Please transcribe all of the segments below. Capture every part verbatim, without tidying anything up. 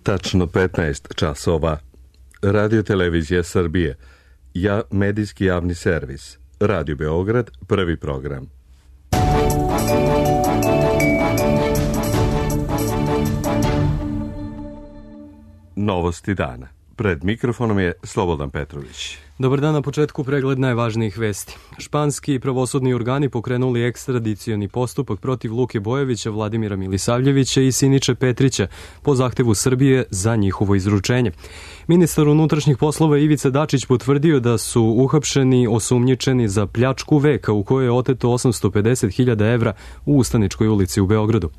Tačno petnaest časova. Radio Televizija Srbije. Ja, medijski javni servis. Radio Beograd, prvi program. Novosti dana. Pred mikrofonom je Slobodan Petrović. Dobar dan, na početku pregled najvažnijih vesti. Španski pravosudni organi pokrenuli ekstradicioni postupak protiv Luke Bojovića, Vladimira Milisavljevića i Siniše Petrića po zahtevu Srbije za njihovo izručenje. Ministar unutrašnjih poslova Ivica Dačić potvrdio da su uhapšeni osumnjičeni za pljačku veka u kojoj je oteto osamsto pedeset hiljada evra u Ustaničkoj ulici u Beogradu.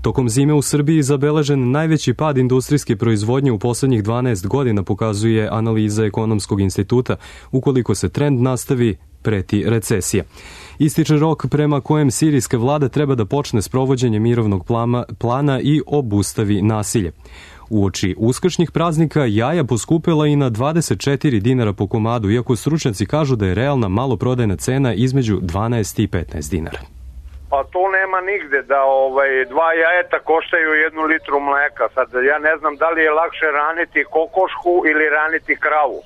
Tokom zime u Srbiji zabeležen najveći pad industrijske proizvodnje u poslednjih dvanaest godina, pokazuje analiza Ekonomskog instituta. Ukoliko se trend nastavi, preti recesija. Ističe rok prema kojem sirijska vlada treba da počne sprovođenje mirovnog plana, plana i obustavi nasilje. Uoči uskršnjih praznika jaja poskupela i na dvadeset četiri dinara po komadu, iako stručnjaci kažu da je realna maloprodajna cena između dvanaest i petnaest dinara. Pa to nema nigde da ovaj dva jajeta koštaju jednu litru mleka. Sad ja ne znam da li je lakše raniti kokošku ili raniti kravu.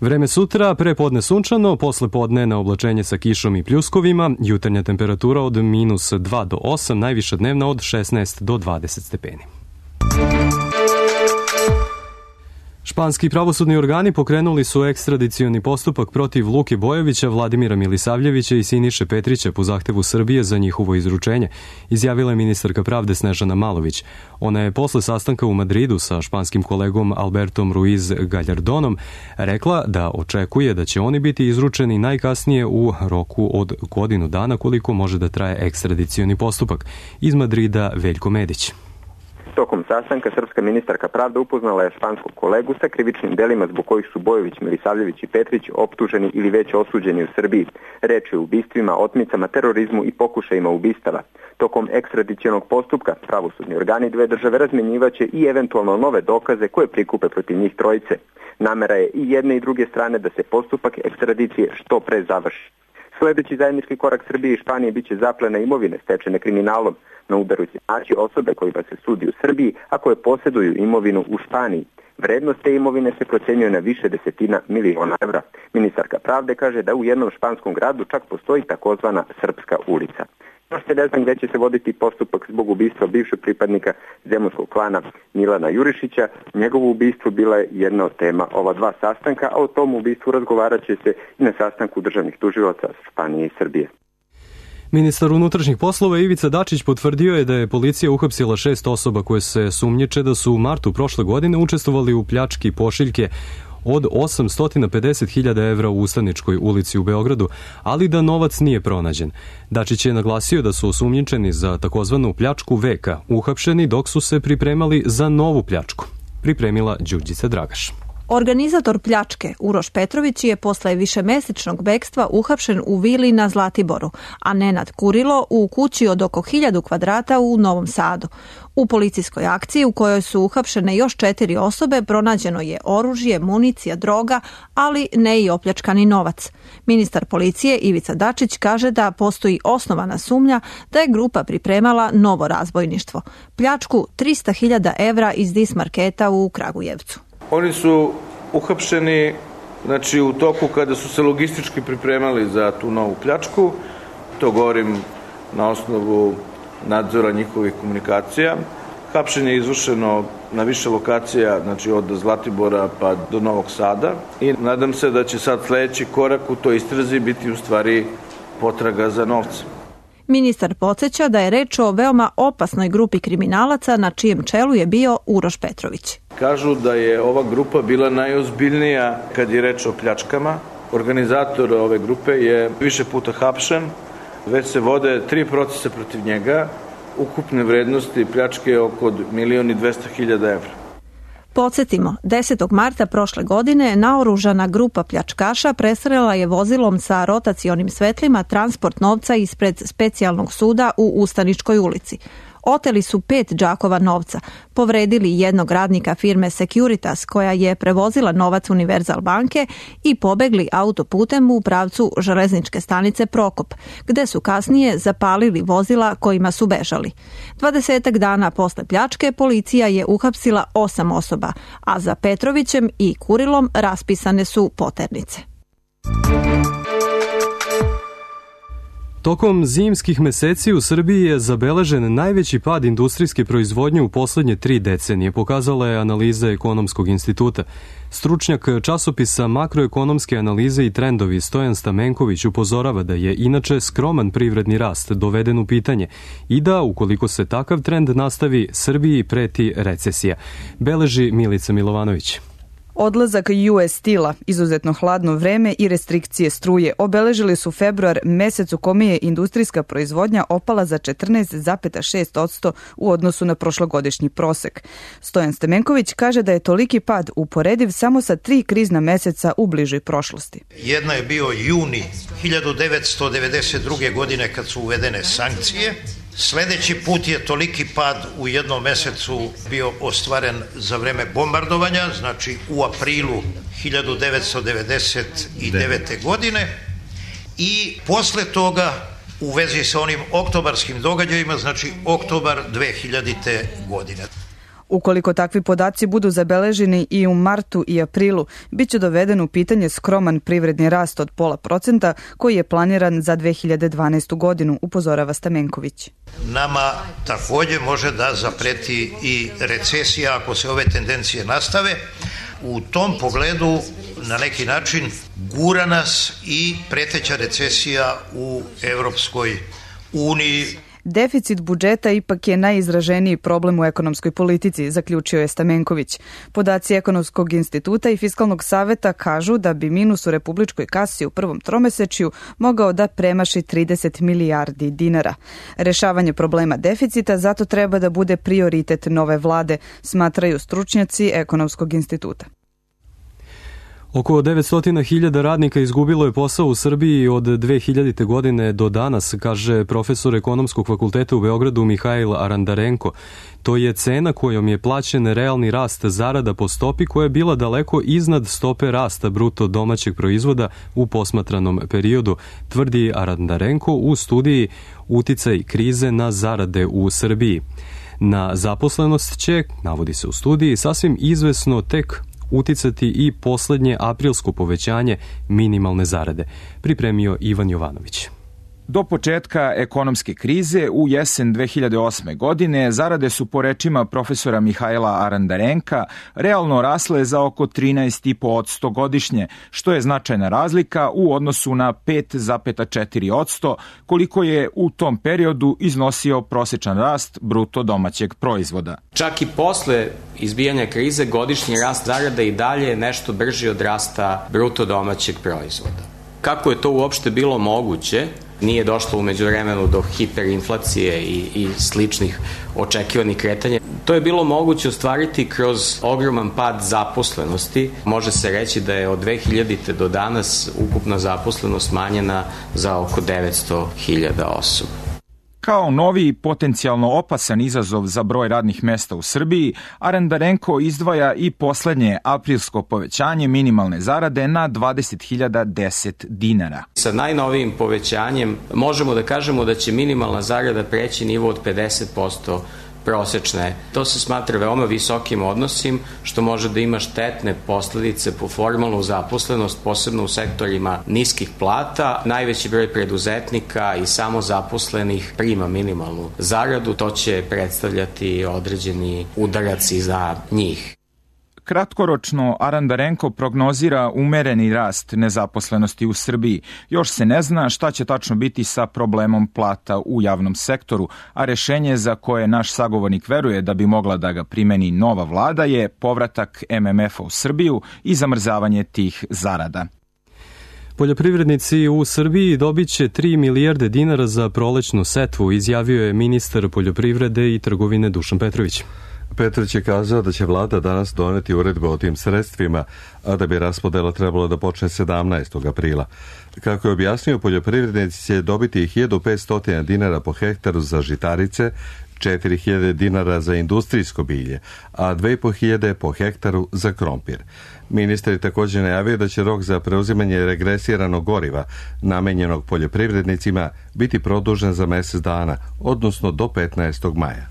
Vreme sutra, prepodne sunčano, posle podne na oblačenje sa kišom i pljuskovima, jutarnja temperatura od minus dva do osam, najviša dnevna od šesnaest do dvadeset stepeni. Španski pravosudni organi pokrenuli su ekstradicioni postupak protiv Luke Bojovića, Vladimira Milisavljevića i Siniše Petrića po zahtevu Srbije za njihovo izručenje, izjavila je ministarka pravde Snežana Malović. Ona je posle sastanka u Madridu sa španskim kolegom Albertom Ruiz Gallardonom rekla da očekuje da će oni biti izručeni najkasnije u roku od godinu dana, koliko može da traje ekstradicioni postupak. Iz Madrida Veljko Medić. Tokom sastanka srpska ministarka pravde upoznala je španskog kolegu sa krivičnim delima zbog kojih su Bojović, Milisavljević i Petrić optuženi ili već osuđeni u Srbiji. Reč je o ubistvima, otmicama, terorizmu i pokušajima ubistava. Tokom ekstradicionog postupka pravosudni organi dve države razmenjivaće i eventualno nove dokaze koje prikupe protiv njih trojice. Namera je i jedne i druge strane da se postupak ekstradicije što pre završi. Sledeći zajednički korak Srbije i Španije biće zaplena imovine stečene kriminalom. Na udaru će naći osobe kojima se sudi u Srbiji, a koje posjeduju imovinu u Španiji. Vrednost te imovine se procenjuje na više desetina miliona evra. Ministarka pravde kaže da u jednom španskom gradu čak postoji takozvana Srpska ulica. Još se ne znam gde će se voditi postupak zbog ubistva bivšeg pripadnika zemunskog klana Milana Jurišića. Njegovo ubistvo bila je jedna od tema ova dva sastanka, a o tom ubistvu razgovarat će se i na sastanku državnih tužilaca Španije i Srbije. Ministar unutrašnjih poslova Ivica Dačić potvrdio je da je policija uhapsila šest osoba koje se sumnjiče da su u martu prošle godine učestvovali u pljački pošiljke od osamsto pedeset hiljada evra u Ustaničkoj ulici u Beogradu, ali da novac nije pronađen. Dačić je naglasio da su osumnjičeni za takozvanu pljačku veka uhapšeni dok su se pripremali za novu pljačku. Pripremila Đurđica Dragaš. Organizator pljačke, Uroš Petrović, je posle višemesečnog bekstva uhapšen u vili na Zlatiboru, a Nenad Kurilo u kući od oko hiljadu kvadrata u Novom Sadu. U policijskoj akciji u kojoj su uhapšene još četiri osobe pronađeno je oružje, municija, droga, ali ne i opljačkani novac. Ministar policije Ivica Dačić kaže da postoji osnovana sumnja da je grupa pripremala novo razbojništvo, pljačku trista hiljada evra iz Dis marketa u Kragujevcu. Oni su uhapšeni znači, u toku kada su se logistički pripremali za tu novu pljačku. To govorim na osnovu nadzora njihovih komunikacija. Hapšenje je izvršeno na više lokacija, znači od Zlatibora pa do Novog Sada. I nadam se da će sad sledeći korak u toj istrazi biti u stvari potraga za novcem. Ministar podsjeća da je reč o veoma opasnoj grupi kriminalaca na čijem čelu je bio Uroš Petrović. Kažu da je ova grupa bila najozbiljnija kad je reč o pljačkama. Organizator ove grupe je više puta hapšen, već se vode tri procesa protiv njega, ukupne vrednosti pljačke je oko milion i dvesta hiljada evra. Podsjetimo, desetog marta prošle godine naoružana grupa pljačkaša presrela je vozilom sa rotacionim svetlima transport novca ispred specijalnog suda u Ustaničkoj ulici. Oteli su pet džakova novca, povredili jednog radnika firme Securitas koja je prevozila novac Univerzal banke i pobegli autoputem u pravcu železničke stanice Prokop, gde su kasnije zapalili vozila kojima su bežali. Dvadesetak dana posle pljačke policija je uhapsila osam osoba, a za Petrovićem i Kurilom raspisane su poternice. Tokom zimskih meseci u Srbiji je zabeležen najveći pad industrijske proizvodnje u poslednje tri decenije, pokazala je analiza Ekonomskog instituta. Stručnjak časopisa Makroekonomske analize i trendovi Stojan Stamenković upozorava da je inače skroman privredni rast doveden u pitanje i da, ukoliko se takav trend nastavi, Srbiji preti recesija. Beleži Milica Milovanović. Odlazak U S Steel-a, izuzetno hladno vreme i restrikcije struje obeležili su februar, mesec u kome je industrijska proizvodnja opala za četrnaest zarez šest posto u odnosu na prošlogodišnji prosek. Stojan Stamenković kaže da je toliki pad uporediv samo sa tri krizna meseca u bližoj prošlosti. Jedna je bio juni hiljadu devetsto devedeset druge. godine kad su uvedene sankcije. Sledeći put je toliki pad u jednom mesecu bio ostvaren za vreme bombardovanja, znači u aprilu hiljadu devetsto devedeset devete. godine i posle toga u vezi sa onim oktobarskim događajima, znači oktobar dve hiljadite. godine. Ukoliko takvi podaci budu zabeleženi i u martu i aprilu, bit će doveden u pitanje skroman privredni rast od pola procenta koji je planiran za dve hiljade dvanaestu. godinu, upozorava Stamenković. Nama takođe može da zapreti i recesija ako se ove tendencije nastave. U tom pogledu na neki način gura nas i preteća recesija u Evropskoj uniji. Deficit budžeta ipak je najizraženiji problem u ekonomskoj politici, zaključio je Stamenković. Podaci Ekonomskog instituta i Fiskalnog saveta kažu da bi minus u republičkoj kasi u prvom tromesečju mogao da premaši trideset milijardi dinara. Rešavanje problema deficita zato treba da bude prioritet nove vlade, smatraju stručnjaci Ekonomskog instituta. Oko devetsto hiljada radnika izgubilo je posao u Srbiji od dve hiljadite. godine do danas, kaže profesor Ekonomskog fakulteta u Beogradu Mihajl Arandarenko. To je cena kojom je plaćen realni rast zarada po stopi koja je bila daleko iznad stope rasta bruto domaćeg proizvoda u posmatranom periodu, tvrdi Arandarenko u studiji Uticaj krize na zarade u Srbiji. Na zaposlenost će, navodi se u studiji, sasvim izvesno tek uticati i poslednje aprilsko povećanje minimalne zarade, pripremio Ivan Jovanović. Do početka ekonomske krize u jesen dve hiljade osme. godine zarade su po rečima profesora Mihajla Arandarenka realno rasle za oko trinaest zarez pet posto godišnje, što je značajna razlika u odnosu na pet zarez četiri posto koliko je u tom periodu iznosio prosečan rast bruto domaćeg proizvoda. Čak i posle izbijanja krize godišnji rast zarada i dalje je nešto brži od rasta bruto domaćeg proizvoda. Kako je to uopšte bilo moguće? Nije došlo umeđu vremenu do hiperinflacije i, i sličnih očekivanih kretanja. To je bilo moguće ostvariti kroz ogroman pad zaposlenosti. Može se reći da je od dve hiljadite. do danas ukupna zaposlenost smanjena za oko devetsto hiljada osoba. Kao novi potencijalno opasan izazov za broj radnih mesta u Srbiji, Arandarenko izdvaja i poslednje aprilsko povećanje minimalne zarade na dvadeset hiljada deset dinara. Sa najnovijim povećanjem možemo da kažemo da će minimalna zarada preći nivo od pedeset posto prosečne. To se smatra veoma visokim odnosim, što može da ima štetne posledice po formalnu zaposlenost, posebno u sektorima niskih plata. Najveći broj preduzetnika i samozaposlenih prima minimalnu zaradu, to će predstavljati određeni udarac i za njih. Kratkoročno, Arandarenko prognozira umereni rast nezaposlenosti u Srbiji. Još se ne zna šta će tačno biti sa problemom plata u javnom sektoru, a rešenje za koje naš sagovornik veruje da bi mogla da ga primeni nova vlada je povratak M M F-a u Srbiju i zamrzavanje tih zarada. Poljoprivrednici u Srbiji dobit će tri milijarde dinara za prolećnu setvu, izjavio je ministar poljoprivrede i trgovine Dušan Petrović. Petrić je kazao da će vlada danas doneti uredbu o tim sredstvima, a da bi raspodela trebalo da počne sedamnaestog aprila. Kako je objasnio, poljoprivrednici će dobiti hiljadu petsto dinara po hektaru za žitarice, četiri hiljade dinara za industrijsko bilje, a dve i po hiljade po hektaru za krompir. Ministar je također najavio da će rok za preuzimanje regresiranog goriva namenjenog poljoprivrednicima biti produžen za mjesec dana, odnosno do petnaestog maja.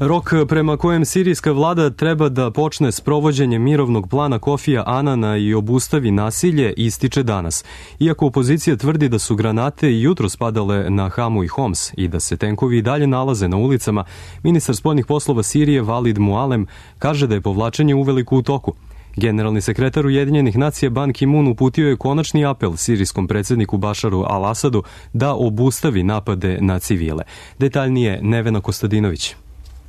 Rok prema kojem sirijska vlada treba da počne s provođenjem mirovnog plana Kofija Anana i obustavi nasilje ističe danas. Iako opozicija tvrdi da su granate i jutro spadale na Hamu i Homs i da se tenkovi i dalje nalaze na ulicama, ministar spoljnih poslova Sirije Valid Mualem kaže da je povlačenje uveliko u toku. Generalni sekretar Ujedinjenih nacija Ban Ki-moon uputio je konačni apel sirijskom predsjedniku Bašaru al-Asadu da obustavi napade na civile. Detaljnije Nevena Kostadinović.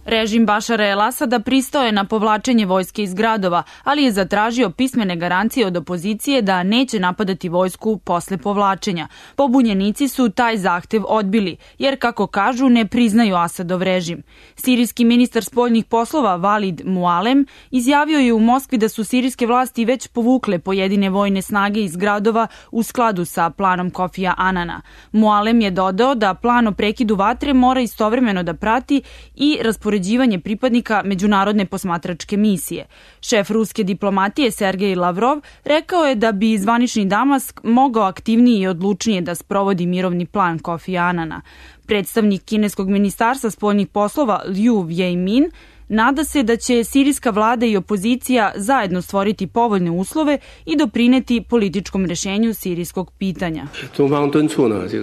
Režim Bašara el-Asada pristao je na povlačenje vojske iz gradova, ali je zatražio pismene garancije od opozicije da neće napadati vojsku posle povlačenja. Pobunjenici su taj zahtev odbili, jer kako kažu ne priznaju Asadov režim. Sirijski ministar spoljnih poslova Valid Mualem izjavio je u Moskvi da su sirijske vlasti već povukle pojedine vojne snage iz gradova u skladu sa planom Kofija Anana. Mualem je dodao da plan o prekidu vatre mora istovremeno da prati i raspoređivanje pripadnika međunarodne posmatračke misije. Šef ruske diplomatije Sergej Lavrov rekao je da bi zvanični Damask mogao aktivnije i odlučnije da sprovodi mirovni plan Kofija Anana. Predstavnik kineskog ministarstva spoljnih poslova Liu Wei-min nada se da će sirijska vlada i opozicija zajedno stvoriti povoljne uslove i doprineti političkom rešenju sirijskog pitanja.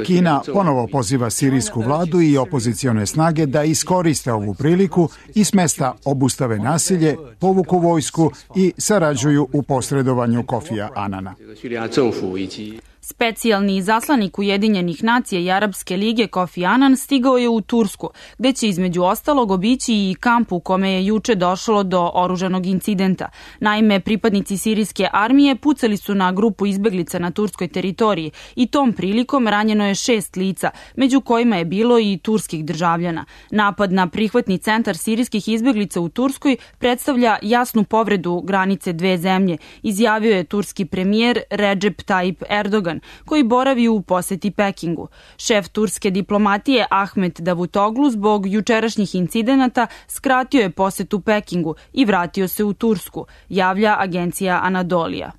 Kina ponovo poziva sirijsku vladu i opozicione snage da iskoriste ovu priliku i s mesta obustave nasilje, povuku vojsku i sarađuju u posredovanju Kofija Anana. Specijalni izaslanik Ujedinjenih nacija i Arapske lige Kofi Anan stigao je u Tursku, gde će između ostalog obići i kamp u kome je juče došlo do oružanog incidenta. Naime, pripadnici sirijske armije pucali su na grupu izbeglica na turskoj teritoriji i tom prilikom ranjeno je šest lica, među kojima je bilo i turskih državljana. Napad na prihvatni centar sirijskih izbeglica u Turskoj predstavlja jasnu povredu granice dve zemlje, izjavio je turski premijer Recep Tayyip Erdogan, koji boravi u poseti Pekingu. Šef turske diplomatije Ahmet Davutoglu zbog jučerašnjih incidenata skratio je posetu Pekingu i vratio se u Tursku, javlja agencija Anadolija.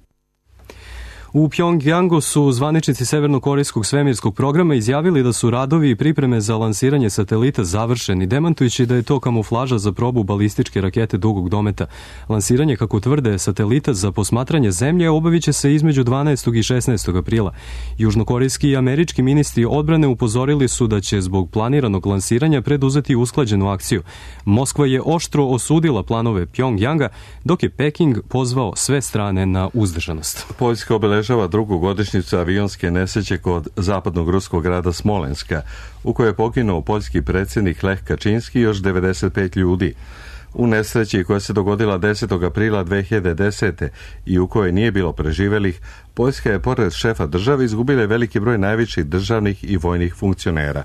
U Pjongjangu su zvaničnici severnokorejskog svemirskog programa izjavili da su radovi i pripreme za lansiranje satelita završeni, demantujući da je to kamuflaža za probu balističke rakete dugog dometa. Lansiranje, kako tvrde, satelita za posmatranje zemlje obavit će se između dvanaestog i šesnaestog aprila. Južnokorejski i američki ministri odbrane upozorili su da će zbog planiranog lansiranja preduzeti usklađenu akciju. Moskva je oštro osudila planove Pjongjanga, dok je Peking pozvao sve strane na uzdržanost. Poljska obeležava drugu godišnjicu avionske nesreće kod zapadnog ruskog grada Smolenska, u kojoj je poginuo poljski predsjednik Lech Kačinski i još devedeset pet ljudi. U nesreći koja se dogodila desetog aprila dve hiljade desete. i u kojoj nije bilo preživelih, Poljska je pored šefa države izgubila veliki broj najviših državnih i vojnih funkcionera.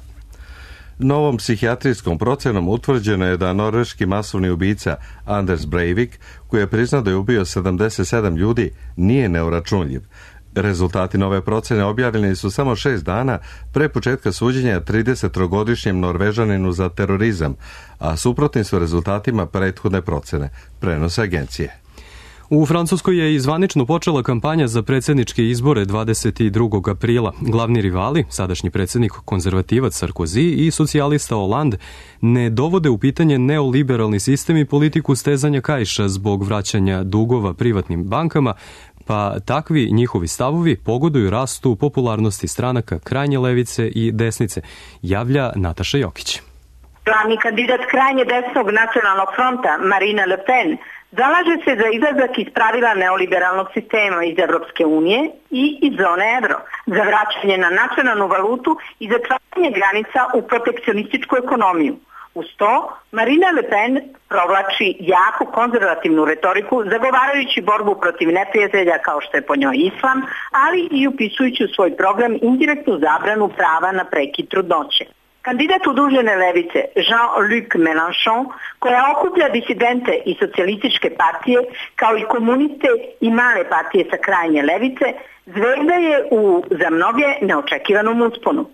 Novom psihijatrijskom procenom utvrđeno je da norveški masovni ubica Anders Breivik, koji je priznao da je ubio sedamdeset sedam ljudi, nije neuračunljiv. Rezultati nove procene objavljeni su samo šest dana pre početka suđenja tridesettrogodišnjem Norvežaninu za terorizam, a suprotni su rezultatima prethodne procene, prenose agencije. U Francuskoj je i zvanično počela kampanja za predsjedničke izbore dvadeset drugog aprila. Glavni rivali, sadašnji predsjednik konzervativac Sarkozy i socijalista Hollande, ne dovode u pitanje neoliberalni sistem i politiku stezanja kaiša zbog vraćanja dugova privatnim bankama, pa takvi njihovi stavovi pogoduju rastu popularnosti stranaka krajnje levice i desnice, javlja Nataša Jokić. Glavni kandidat krajnje desnog nacionalnog fronta, Marine Le Pen, zalaže se za izlazak iz pravila neoliberalnog sistema iz Evropske unije i iz zone euro, za vraćanje na nacionalnu valutu i zatvaranje granica u protekcionističku ekonomiju. Uz to, Marine Le Pen provlači jaku konzervativnu retoriku zagovarajući borbu protiv neprijatelja kao što je po njoj islam, ali i upisujući u svoj program indirektnu zabranu prava na prekid trudnoće. Kandidat udružene levice Jean-Luc Mélenchon, koja okuplja disidente i socijalističke partije, kao i komuniste i male partije sa krajnje levice, zvezda je u, za mnoge, neočekivanom usponu.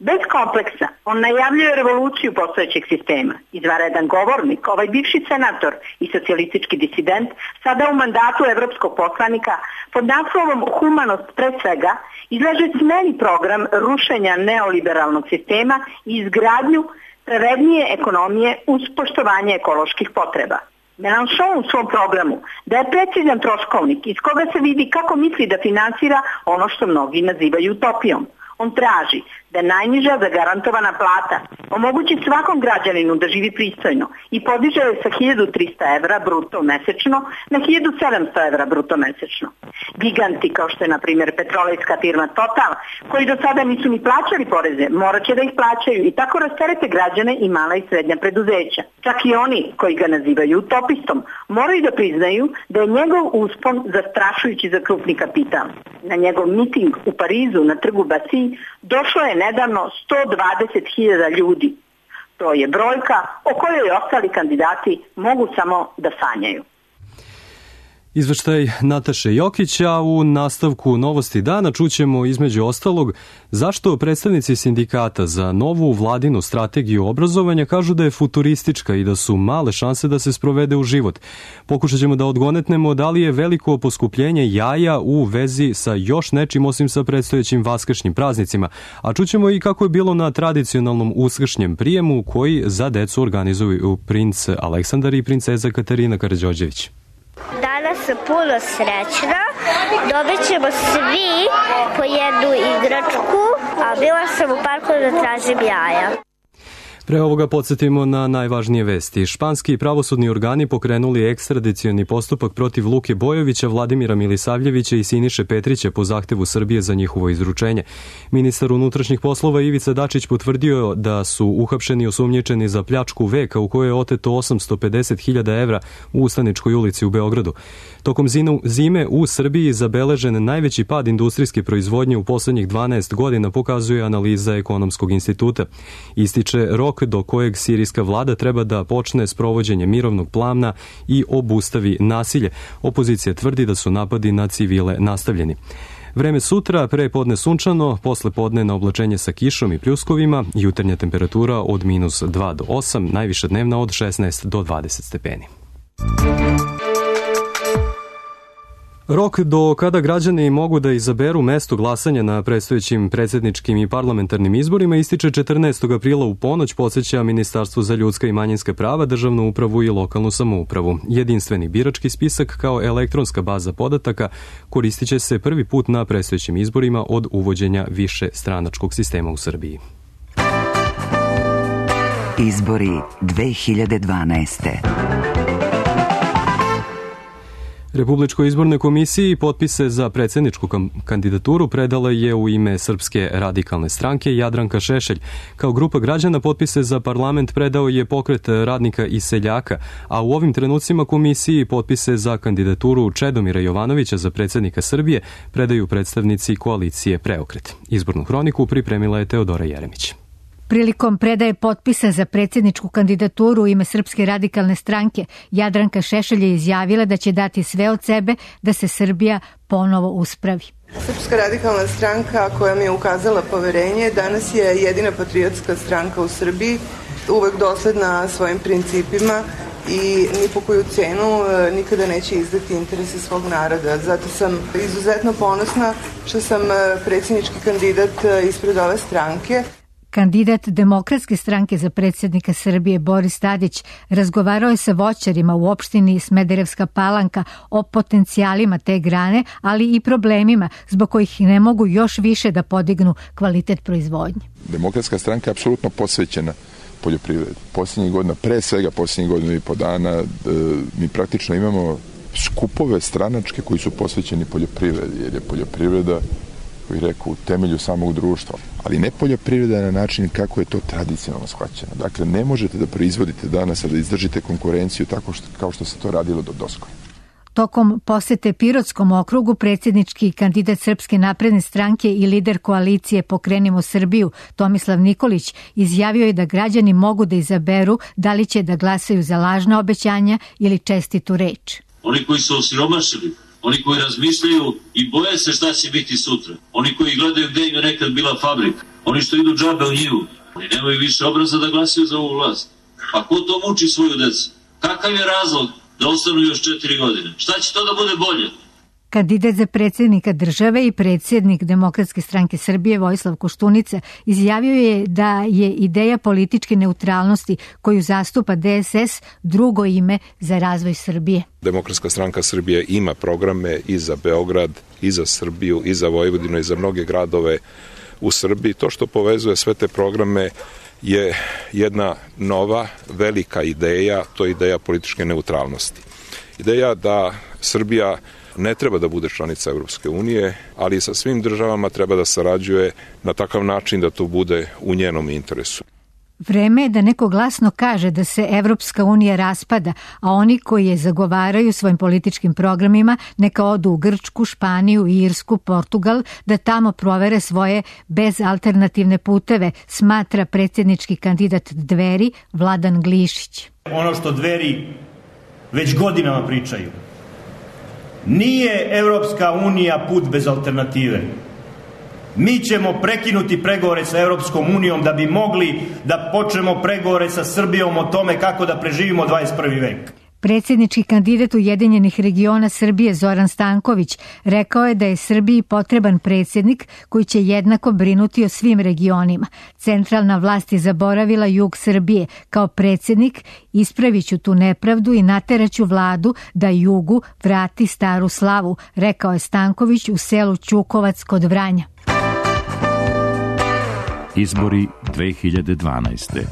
Bez kompleksa, on najavljuje revoluciju postojećeg sistema. Izvanredan govornik, ovaj bivši senator i socijalistički disident, sada u mandatu evropskog poslanika, pod naslovom Humanost pred svega, izlaže smeni program rušenja neoliberalnog sistema i izgradnju pravednije ekonomije uz poštovanje ekoloških potreba. Mélenchon u svom programu daje precizan troškovnik iz koga se vidi kako misli da finansira ono što mnogi nazivaju utopijom. On traži da najniža zagarantovana plata omogući svakom građaninu da živi pristojno i podiže je sa hiljadu trista evra bruto mesečno na hiljadu sedamsto evra bruto mesečno. Giganti kao što je na primjer petrolejska firma Total, koji do sada nisu ni plaćali poreze, morat će da ih plaćaju i tako rasterete građane i mala i srednja preduzeća. Čak i oni koji ga nazivaju utopistom moraju da priznaju da je njegov uspon zastrašujući za krupni kapital. Na njegov miting u Parizu na trgu Bastille došlo je nedavno sto dvadeset hiljada ljudi. To je brojka o kojoj ostali kandidati mogu samo da sanjaju. Izveštaj Nataše Jokića. U nastavku Novosti dana čućemo između ostalog zašto predstavnici sindikata za novu vladinu strategiju obrazovanja kažu da je futuristička i da su male šanse da se sprovede u život. Pokušat ćemo da odgonetnemo da li je veliko poskupljenje jaja u vezi sa još nečim osim sa predstojećim vaskršnjim praznicima, a čućemo i kako je bilo na tradicionalnom uskršnjem prijemu koji za decu organizuju princ Aleksandar i princeza Katarina Karađorđević. Danas sam puno srećna, dobit ćemo svi po jednu igračku, a bila sam u parku da tražim jaja. Pre ovoga podsjetimo na najvažnije vesti. Španski pravosudni organi pokrenuli ekstradicioni postupak protiv Luke Bojovića, Vladimira Milisavljevića i Siniše Petrića po zahtevu Srbije za njihovo izručenje. Ministar unutrašnjih poslova Ivica Dačić potvrdio da su uhapšeni osumnjičeni za pljačku veka u kojoj je oteto osamsto pedeset hiljada evra u Ustaničkoj ulici u Beogradu. Tokom zime u Srbiji zabeležen najveći pad industrijske proizvodnje u poslednjih dvanaest godina, pokazuje analiza Ekonomskog instituta. Ističe rok do kojeg sirijska vlada treba da počne sprovođenje mirovnog plana i obustavi nasilje. Opozicija tvrdi da su napadi na civile nastavljeni. Vreme sutra, pre podne sunčano, posle podne na oblačenje sa kišom i pljuskovima, jutarnja temperatura od minus dva do osam, najviša dnevna od šesnaest do dvadeset stepeni. Rok do kada građani mogu da izaberu mesto glasanja na predstojećim predsjedničkim i parlamentarnim izborima ističe četrnaestog aprila u ponoć, podsjeća Ministarstvo za ljudska i manjinska prava, državnu upravu i lokalnu samoupravu. Jedinstveni birački spisak kao elektronska baza podataka koristit će se prvi put na predstojećim izborima od uvođenja više stranačkog sistema u Srbiji. Izbori dve hiljade dvanaeste. Republičkoj izbornoj komisiji potpise za predsjedničku kandidaturu predala je u ime Srpske radikalne stranke Jadranka Šešelj. Kao grupa građana potpise za parlament predao je Pokret radnika i seljaka, a u ovim trenucima komisiji potpise za kandidaturu Čedomira Jovanovića za predsjednika Srbije predaju predstavnici koalicije Preokret. Izbornu hroniku pripremila je Teodora Jeremić. Prilikom predaje potpisa za predsjedničku kandidaturu u ime Srpske radikalne stranke, Jadranka Šešelj je izjavila da će dati sve od sebe da se Srbija ponovo uspravi. Srpska radikalna stranka koja mi je ukazala poverenje danas je jedina patriotska stranka u Srbiji, uvek dosledna svojim principima i ni po koju cenu nikada neće izdati interese svog naroda. Zato sam izuzetno ponosna što sam predsjednički kandidat ispred ove stranke. Kandidat Demokratske stranke za predsjednika Srbije Boris Tadić razgovarao je sa voćarima u opštini Smederevska Palanka o potencijalima te grane, ali i problemima zbog kojih ne mogu još više da podignu kvalitet proizvodnje. Demokratska stranka je apsolutno posvećena poljoprivredi. Posljednjih godina, pre svega posljednjih godina i po dana, mi praktično imamo skupove stranačke koji su posvećeni poljoprivredi, jer je poljoprivreda, koji rekao, u temelju samog društva. Ali ne poljoprivreda na način kako je to tradicionalno shvaćeno. Dakle, ne možete da proizvodite danas, a da izdržite konkurenciju tako što, kao što se to radilo do doskora. Tokom posete Pirotskom okrugu predsjednički kandidat Srpske napredne stranke i lider koalicije Pokrenimo Srbiju Tomislav Nikolić izjavio je da građani mogu da izaberu da li će da glasaju za lažna obećanja ili čestitu reč. Oni koji su osiromašili, oni koji razmišljaju i boje se šta će biti sutra, oni koji gledaju gde im je nekad bila fabrika, oni što idu džabe u njivu, oni nemaju više obraza da glasaju za ovu vlast. Pa ko to muči svoju decu? Kakav je razlog da ostanu još četiri godine? Šta će to da bude bolje? Kandidat za predsjednika države i predsjednik Demokratske stranke Srbije Vojislav Koštunica izjavio je da je ideja političke neutralnosti koju zastupa D S S drugo ime za razvoj Srbije. Demokratska stranka Srbije ima programe i za Beograd, i za Srbiju, i za Vojvodinu, i za mnoge gradove u Srbiji. To što povezuje sve te programe je jedna nova, velika ideja, to je ideja političke neutralnosti. Ideja da Srbija ne treba da bude članica Evropske unije, ali sa svim državama treba da sarađuje na takav način da to bude u njenom interesu. Vreme je da neko glasno kaže da se Evropska unija raspada, a oni koji je zagovaraju svojim političkim programima neka odu u Grčku, Španiju, Irsku, Portugal, da tamo provere svoje bezalternativne puteve, smatra predsjednički kandidat Dveri Vladan Glišić. Ono što Dveri već godinama pričaju. Nije Evropska unija put bez alternative. Mi ćemo prekinuti pregovore sa Evropskom unijom da bi mogli da počnemo pregovore sa Srbijom o tome kako da preživimo dvadeset prvi vek. Predsjednički kandidat Ujedinjenih regiona Srbije Zoran Stanković rekao je da je Srbiji potreban predsjednik koji će jednako brinuti o svim regionima. Centralna vlast je zaboravila jug Srbije. Kao predsjednik ispraviću tu nepravdu i nateraću vladu da jugu vrati staru slavu, rekao je Stanković u selu Ćukovac kod Vranja. Izbori dve hiljade dvanaeste.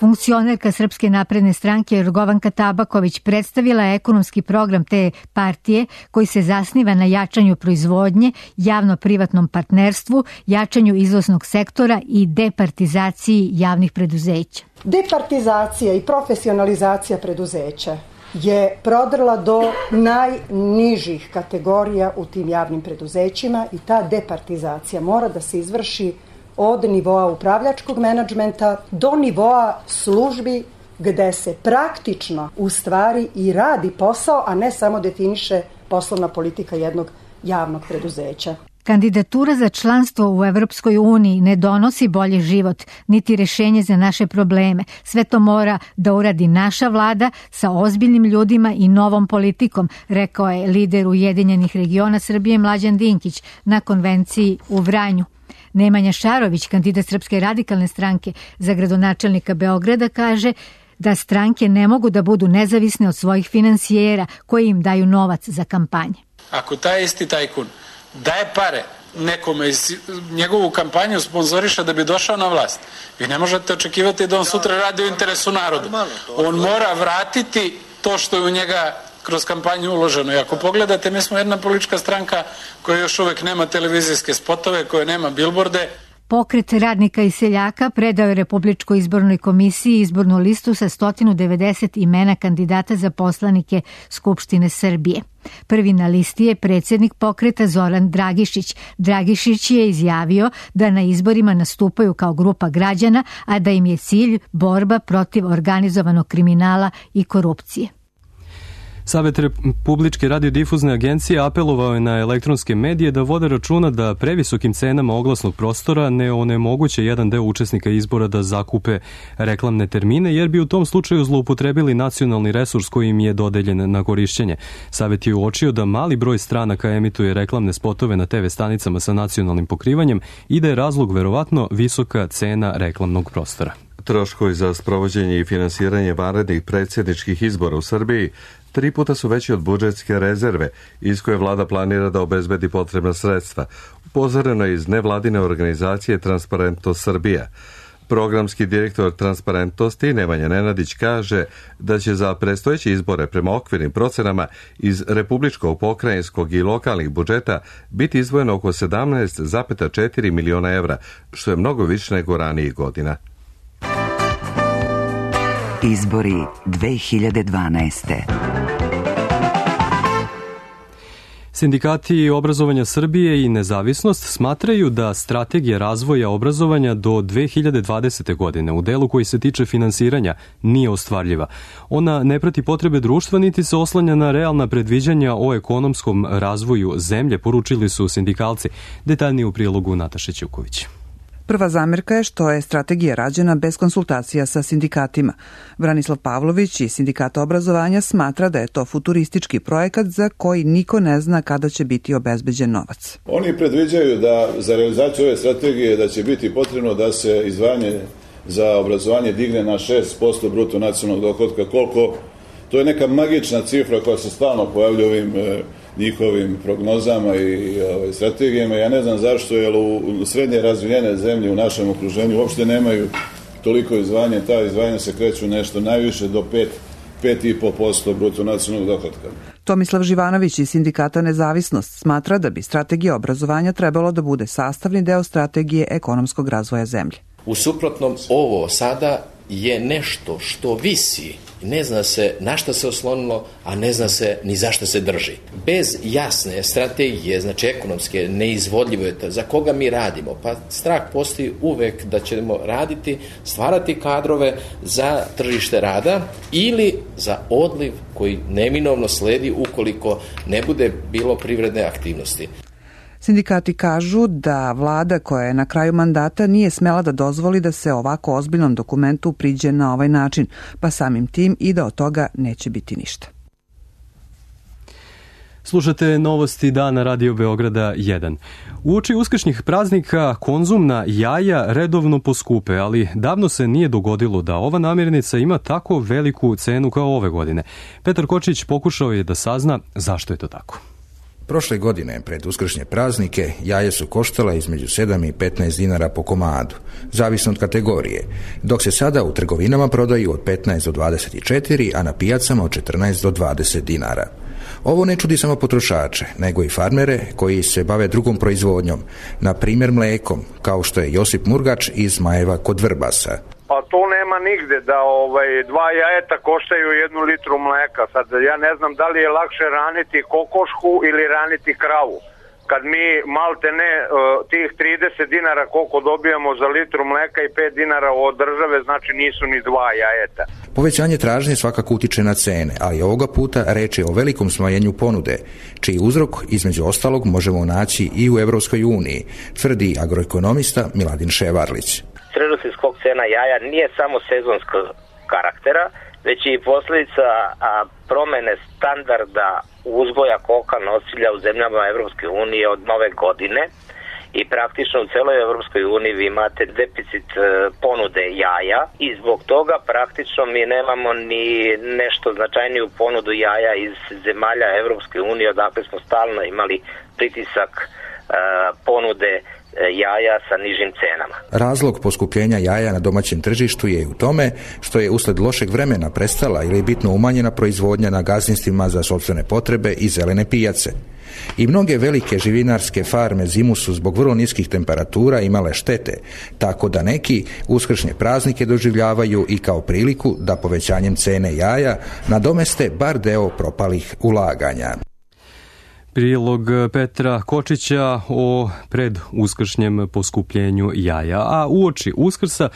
Funkcionerka Srpske napredne stranke Jorgovanka Tabaković predstavila je ekonomski program te partije koji se zasniva na jačanju proizvodnje, javno-privatnom partnerstvu, jačanju izvoznog sektora i departizaciji javnih preduzeća. Departizacija i profesionalizacija preduzeća je prodrla do najnižih kategorija u tim javnim preduzećima i ta departizacija mora da se izvrši od nivoa upravljačkog menadžmenta do nivoa službi gde se praktično u stvari i radi posao, a ne samo definiše poslovna politika jednog javnog preduzeća. Kandidatura za članstvo u Evropskoj uniji ne donosi bolji život, niti rješenje za naše probleme. Sve to mora da uradi naša vlada sa ozbiljnim ljudima i novom politikom, rekao je lider Ujedinjenih regiona Srbije Mlađan Dinkić na konvenciji u Vranju. Nemanja Šarović, kandidat Srpske radikalne stranke za gradonačelnika Beograda, kaže da stranke ne mogu da budu nezavisne od svojih finansijera koji im daju novac za kampanje. Ako taj isti tajkun daje pare nekome iz njegovu kampanju sponzoriša da bi došao na vlast, vi ne možete očekivati da on sutra radi u interesu naroda. On mora vratiti to što je u njega kroz kampanju uloženo. I ako pogledate, mi smo jedna politička stranka koja još uvek nema televizijske spotove, koja nema bilborde. Pokret radnika i seljaka predao je Republičkoj izbornoj komisiji izbornu listu sa sto devedeset imena kandidata za poslanike Skupštine Srbije. Prvi na listi je predsjednik pokreta Zoran Dragišić. Dragišić je izjavio da na izborima nastupaju kao grupa građana, a da im je cilj borba protiv organizovanog kriminala i korupcije. Savet Republičke radiodifuzne agencije apelovao je na elektronske medije da vode računa da previsokim cenama oglasnog prostora ne onemoguće jedan deo učesnika izbora da zakupe reklamne termine, jer bi u tom slučaju zloupotrebili nacionalni resurs koji im je dodeljen na korišćenje. Savet je uočio da mali broj stranaka emituje reklamne spotove na te ve stanicama sa nacionalnim pokrivanjem i da je razlog verovatno visoka cena reklamnog prostora. Troškovi za sprovođenje i finansiranje vanrednih predsjedničkih izbora u Srbiji tri puta su veći od budžetske rezerve iz koje vlada planira da obezbedi potrebna sredstva. Upozoreno je iz nevladine organizacije Transparentnost Srbija. Programski direktor Transparentnosti Nemanja Nenadić kaže da će za predstojeće izbore prema okvirnim procenama iz republičkog, pokrajinskog i lokalnih budžeta biti izdvojeno oko sedamnaest zarez četiri miliona evra, što je mnogo više nego ranijih godina. Izbori dve hiljade dvanaeste. Sindikati obrazovanja Srbije i Nezavisnost smatraju da strategija razvoja obrazovanja do dve hiljade dvadesete. godine u delu koji se tiče finansiranja nije ostvarljiva. Ona ne prati potrebe društva niti se oslanja na realna predviđanja o ekonomskom razvoju zemlje, poručili su sindikalci. Detaljnije u prilogu Nataše Ćuković. Prva zamerka je što je strategija rađena bez konsultacija sa sindikatima. Branislav Pavlović iz Sindikata obrazovanja smatra da je to futuristički projekat za koji niko ne zna kada će biti obezbeđen novac. Oni predviđaju da za realizaciju ove strategije da će biti potrebno da se izdvajanje za obrazovanje digne na šest posto bruto nacionalnog dohotka. Koliko? To je neka magična cifra koja se stalno pojavlja u ovim njihovim prognozama i ovaj, strategijama. Ja ne znam zašto, jer u srednje razvijene zemlje u našem okruženju uopšte nemaju toliko izdvajanja. Ta izdvajanja se kreću nešto najviše do pet, pet i po posto bruto nacionalnog dohotka. Tomislav Živanović iz Sindikata Nezavisnost smatra da bi strategija obrazovanja trebalo da bude sastavni deo strategije ekonomskog razvoja zemlje. U suprotnom, ovo sada je nešto što visi. Ne zna se na šta se oslonilo, a ne zna se ni zašto se drži. Bez jasne strategije, znači ekonomske, neizvodljivo je za koga mi radimo. Pa strah postoji uvek da ćemo raditi, stvarati kadrove za tržište rada ili za odliv koji neminovno sledi ukoliko ne bude bilo privredne aktivnosti. Sindikati kažu da vlada koja je na kraju mandata nije smela da dozvoli da se ovako ozbiljnom dokumentu priđe na ovaj način, pa samim tim i da od toga neće biti ništa. Slušate novosti dana Radio Beograda jedan. Uoči uskršnjih praznika konzumna jaja redovno poskupe, ali davno se nije dogodilo da ova namirnica ima tako veliku cenu kao ove godine. Petar Kočić pokušao je da sazna zašto je to tako. Prošle godine, pred uskršnje praznike, jaja su koštala između sedam i petnaest dinara po komadu, zavisno od kategorije, dok se sada u trgovinama prodaju od petnaest do dvadeset četiri, a na pijacama od četrnaest do dvadeset dinara. Ovo ne čudi samo potrošače, nego i farmere koji se bave drugom proizvodnjom, na primjer mlekom, kao što je Josip Murgač iz Majeva kod Vrbasa. Pa to nema nigde da ovaj dva jajeta koštaju jednu litru mleka. Sad ja ne znam da li je lakše raniti kokošku ili raniti kravu. Kad mi malte ne tih trideset dinara koliko dobijamo za litru mleka i pet dinara od države, znači nisu ni dva jajeta. Povećanje tražnje svakako utiče na cene, ali ovoga puta reč je o velikom smanjenju ponude, čiji uzrok između ostalog možemo naći i u Evropskoj uniji, tvrdi agroekonomista Miladin Ševarlić. Trenutni skok cena jaja nije samo sezonskog karaktera, već i posljedica a, promene standarda uzgoja koka nosilja u zemljama Evropske unije od nove godine i praktično u celoj Evropskoj uniji vi imate deficit e, ponude jaja i zbog toga praktično mi nemamo ni nešto značajniju ponudu jaja iz zemalja Evropske unije, odakle smo stalno imali pritisak e, ponude jaja sa nižim cenama. Razlog poskupljenja jaja na domaćem tržištu je u tome što je usled lošeg vremena prestala ili bitno umanjena proizvodnja na gazdinstvima za sopstvene potrebe i zelene pijace. I mnoge velike živinarske farme zimu su zbog vrlo niskih temperatura imale štete, tako da neki uskršnje praznike doživljavaju i kao priliku da povećanjem cene jaja nadomeste bar deo propalih ulaganja. Prilog Petra Kočića o preduskršnjem poskupljenju jaja, a uoči Uskrsa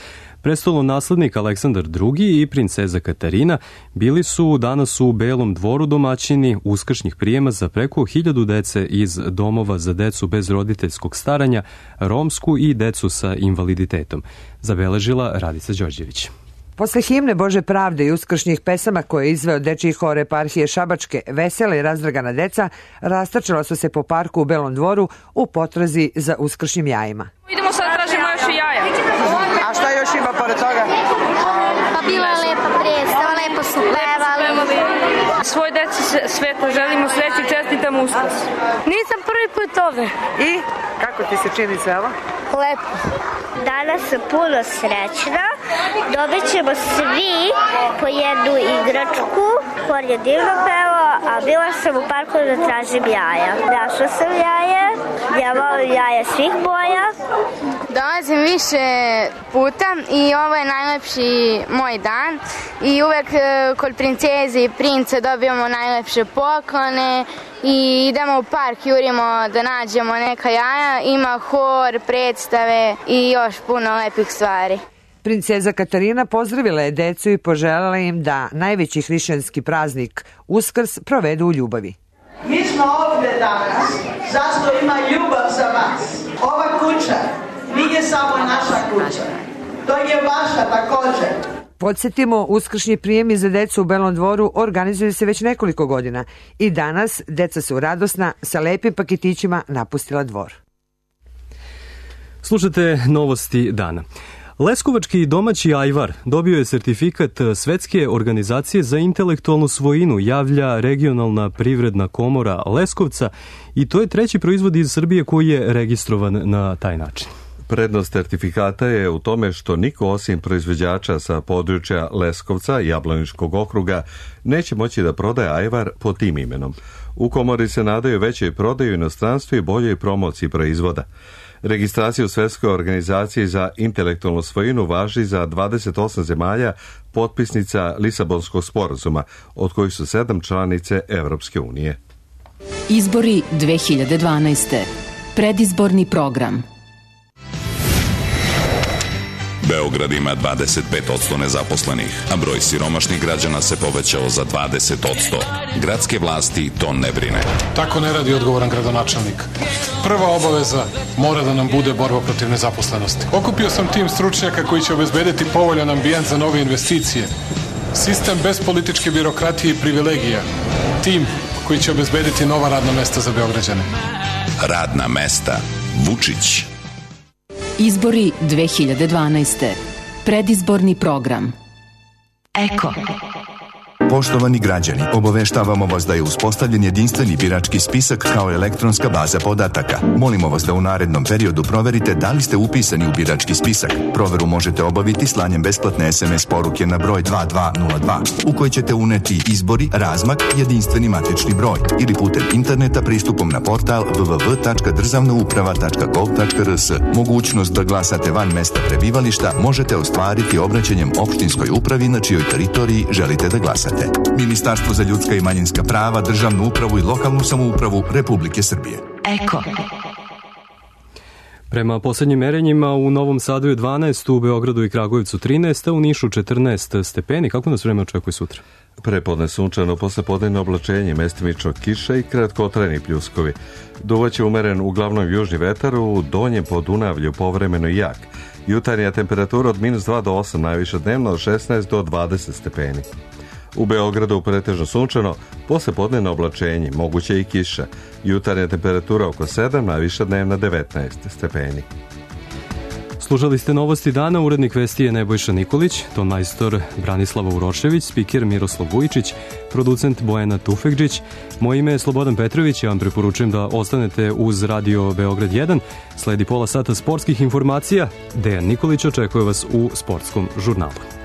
prestolonaslednik Aleksandar drugi i princeza Katarina bili su danas u Belom dvoru domaćini uskršnjih prijema za preko hiljadu dece iz domova za decu bez roditeljskog staranja, romsku i decu sa invaliditetom, zabeležila Radica Đorđević. Posle himne Bože pravde i uskršnjih pesama koje je izveo dečiji hor eparhije Šabačke, vesela i razdragana deca rastačala su se po parku u Belom dvoru u potrazi za uskršnjim jajima. Idemo sad, tražimo još i jaja. A šta još ima pored toga? Pa bila je lepa predstava, lepo su pevali. Svoj deci sveta želimo sreći i čestitam Uskrs. Nisam prvi put ovde. I? Kako ti se čini sve ovo? Lepo. Danas sam puno srećna. Dobit ćemo svi po jednu igračku. Hor je divno pevao, a bila sam u parku da tražim jaja. Našla sam jaje. Ja volim jaja svih boja. Dolazim više puta i ovo je najlepši moj dan i uvek kod princeze i princa dobijamo najlepše poklone i idemo u park, jurimo da nađemo neka jaja, ima hor, predstave i još puno lepih stvari. Princeza Katarina pozdravila je decu i poželjela im da najveći hrišćanski praznik Uskrs provedu u ljubavi. Mi smo ovdje danas, zašto ima ljubav za vas. Ova kuća nije samo naša kuća, to je vaša također. Podsjetimo, uskršnji prijemi za decu u Belom Dvoru organizuju se već nekoliko godina i danas deca su radosna sa lepim paketićima napustila dvor. Slušate novosti dana. Leskovački domaći ajvar dobio je sertifikat Svetske organizacije za intelektualnu svojinu, javlja Regionalna privredna komora Leskovca i to je treći proizvod iz Srbije koji je registrovan na taj način. Prednost sertifikata je u tome što niko osim proizvođača sa područja Leskovca i Jablaničkog okruga neće moći da prodaje ajvar pod tim imenom. U komori se nadaju većoj prodaju inostranstvu i boljoj promociji proizvoda. Registracija u Svetskoj organizaciji za intelektualnu svojinu važi za dvadeset osam zemalja potpisnica Lisabonskog sporazuma, od kojih su sedam članice Evropske unije. Izbori dve hiljade dvanaeste. Predizborni program. Beograd ima dvadeset pet posto nezaposlenih, a broj siromašnih građana se povećao za dvadeset posto. Gradske vlasti to ne brine. Tako ne radi odgovoran gradonačelnik. Prva obaveza mora da nam bude borba protiv nezaposlenosti. Okupio sam tim stručnjaka koji će obezbediti povoljan ambijent za nove investicije. Sistem bez političke birokratije i privilegija. Tim koji će obezbediti nova radna mesta za Beograđane. Radna mesta. Vučić. Izbori dve hiljade dvanaeste. Predizborni program. Eko. Poštovani građani, obaveštavamo vas da je uspostavljen jedinstveni birački spisak kao elektronska baza podataka. Molimo vas da u narednom periodu proverite da li ste upisani u birački spisak. Proveru možete obaviti slanjem besplatne es em es poruke na broj dva dva nula dva u kojoj ćete uneti izbori, razmak, jedinstveni matični broj ili putem interneta pristupom na portal w w w tačka državna uprava tačka gov tačka r s. Mogućnost da glasate van mesta prebivališta možete ostvariti obraćanjem opštinskoj upravi na čijoj teritoriji želite da glasate. Ministarstvo za ljudska i manjinska prava, državnu upravu i lokalnu samoupravu Republike Srbije. Eko. Prema poslednjim merenjima u Novom Sadu je dvanaest, u Beogradu i Kragujevcu trinaest, a u Nišu četrnaest stepeni. Kako nas vreme očekuje sutra? Prepodne sunčano, posle podnevno oblačenje, mestimično kiša i kratkotrajni pljuskovi. Duvaće umeren uglavnom južni vetar, u donjem Podunavlju povremeno i jak. Jutarnja temperatura od minus dva do osam, najviše dnevno od šesnaest do dvadeset stepeni. U Beogradu pretežno sunčano, posle podnevno oblačenje, moguće i kiša. Jutarnja temperatura oko sedam, najviša dnevna devetnaest stepeni. Slušali ste novosti dana, urednik vesti je Nebojša Nikolić, ton majstor Branislava Urošević, spiker Miroslav Vujičić, producent Bojana Tufekđić. Moje ime je Slobodan Petrović, ja vam preporučujem da ostanete uz Radio Beograd jedan. Sledi pola sata sportskih informacija. Dejan Nikolić očekuje vas u sportskom žurnalu.